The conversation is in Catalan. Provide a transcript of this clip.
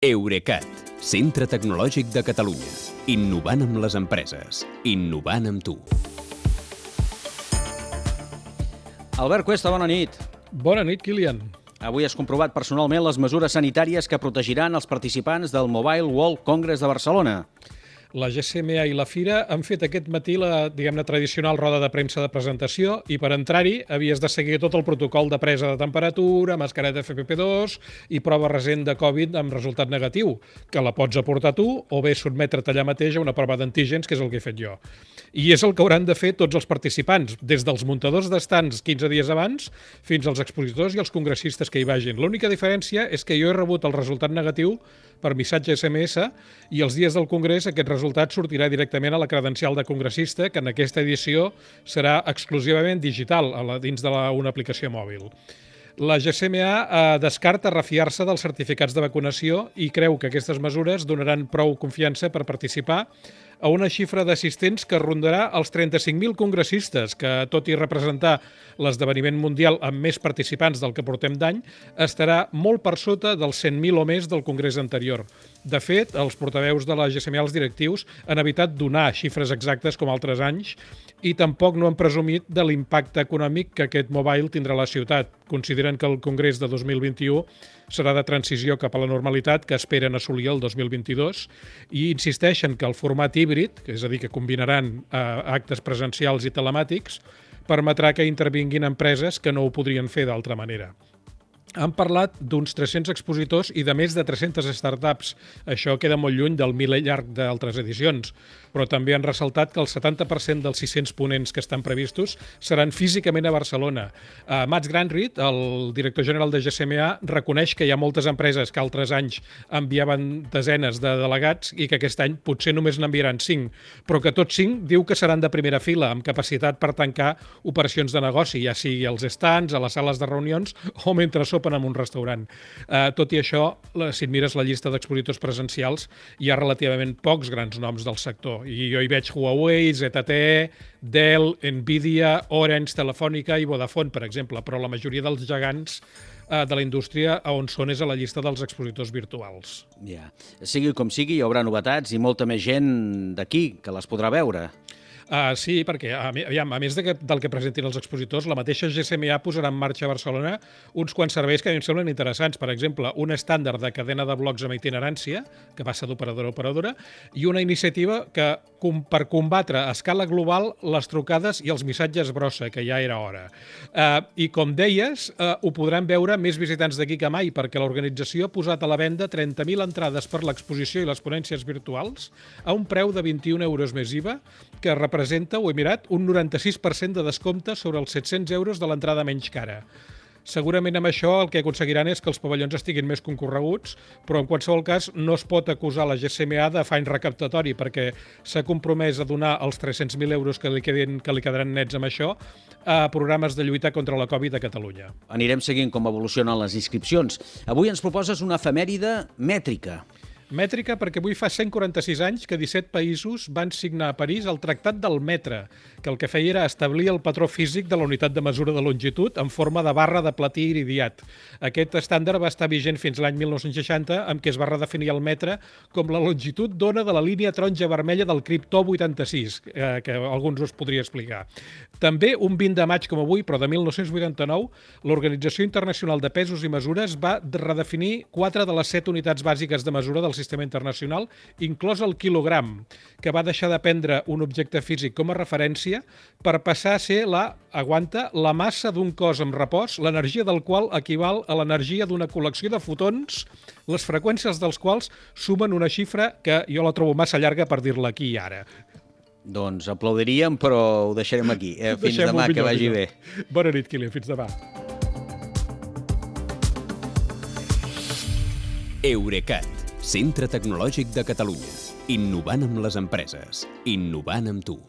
Eurecat, centre tecnològic de Catalunya. Innovant amb les empreses. Innovant amb tu. Albert Cuesta, bona nit. Bona nit, Kilian. Avui has comprovat personalment les mesures sanitàries que protegiran els participants del Mobile World Congress de Barcelona. La GSMA i la Fira han fet aquest matí la, tradicional roda de premsa de presentació i per entrar-hi havies de seguir tot el protocol de presa de temperatura, mascareta FFP2 i prova recent de Covid amb resultat negatiu, que la pots aportar tu o bé sotmetre't allà mateix a una prova d'antígens, que és el que he fet jo. I és el que hauran de fer tots els participants, des dels muntadors d'estants 15 dies abans fins als expositors i els congressistes que hi vagin. L'única diferència és que jo he rebut el resultat negatiu per missatge SMS i els dies del Congrés aquest resultat sortirà directament a la credencial de congressista, que en aquesta edició serà exclusivament digital, dins d'una aplicació mòbil. La GSMA descarta refiar-se dels certificats de vacunació i creu que aquestes mesures donaran prou confiança per participar a una xifra d'assistents que rondarà els 35.000 congressistes, que, tot i representar l'esdeveniment mundial amb més participants del que portem d'any, estarà molt per sota dels 100.000 o més del congrés anterior. De fet, els portaveus de la GSMA, els directius, han evitat donar xifres exactes com altres anys i tampoc no han presumit de l'impacte econòmic que aquest mobile tindrà a la ciutat. Consideren que el congrés de 2021 serà de transició cap a la normalitat que esperen assolir el 2022 i insisteixen que el format híbrid, és a dir, que combinaran actes presencials i telemàtics, permetrà que intervinguin empreses que no ho podrien fer d'altra manera. Han parlat d'uns 300 expositors i de més de 300 startups. Això queda molt lluny del miler llarg d'altres edicions, però també han ressaltat que el 70% dels 600 ponents que estan previstos seran físicament a Barcelona. Mats Granrit, el director general de GSMA, reconeix que hi ha moltes empreses que altres anys enviaven desenes de delegats i que aquest any potser només n'enviaran 5, però que tots 5 diu que seran de primera fila, amb capacitat per tancar operacions de negoci, ja sigui als stands, a les sales de reunions o mentre sopen en un restaurant. Tot i això, si et mires la llista d'expositors presencials, hi ha relativament pocs grans noms del sector. I jo hi veig Huawei, ZTE, Dell, Nvidia, Orange, Telefònica i Vodafone, per exemple, però la majoria dels gegants de la indústria on són és a la llista dels expositors virtuals. Ja. Sigui com sigui, hi haurà novetats i molta més gent d'aquí que les podrà veure. Sí, perquè a més del que presentin els expositors, la mateixa GSMA posarà en marxa a Barcelona uns quants serveis que a mi em semblen interessants. Per exemple, un estàndard de cadena de blocs amb itinerància, que passa d'operadora a operadora, i una iniciativa que, per combatre a escala global les trucades i els missatges brossa, que ja era hora. I com deies, ho podran veure més visitants d'aquí que mai, perquè l'organització ha posat a la venda 30.000 entrades per l'exposició i les ponències virtuals a un preu de 21 euros més IVA, que representa, ho he mirat, un 96% de descompte sobre els 700 euros de l'entrada menys cara. Segurament amb això el que aconseguiran és que els pavellons estiguin més concorreguts, però en qualsevol cas no es pot acusar la GSMA d'afany recaptatori, perquè s'ha compromès a donar els 300.000 euros que li quedaran nets amb això a programes de lluita contra la Covid a Catalunya. Anirem seguint com evolucionen les inscripcions. Avui ens proposes una efemèride mètrica. Mètrica perquè avui fa 146 anys que 17 països van signar a París el Tractat del Metre, que el que feia era establir el patró físic de la unitat de mesura de longitud en forma de barra de platí iridiat. Aquest estàndard va estar vigent fins l'any 1960, amb què es va redefinir el metre com la longitud d'ona de la línia taronja vermella del criptó 86, que alguns us podria explicar. També, un 20 de maig com avui, però de 1989, l'Organització Internacional de Pesos i Mesures va redefinir 4 de les 7 unitats bàsiques de mesura del sistema internacional, inclòs el quilogram, que va deixar de prendre un objecte físic com a referència per passar a ser la massa d'un cos en repòs, l'energia del qual equival a l'energia d'una col·lecció de fotons, les freqüències dels quals sumen una xifra que jo la trobo massa llarga per dir-la aquí i ara. Doncs aplaudiríem, però ho deixarem aquí. Fins demà, que vagi bé. Bona nit, Kilian. Fins demà. Eurecat, centre tecnològic de Catalunya. Innovant amb les empreses. Innovant amb tu.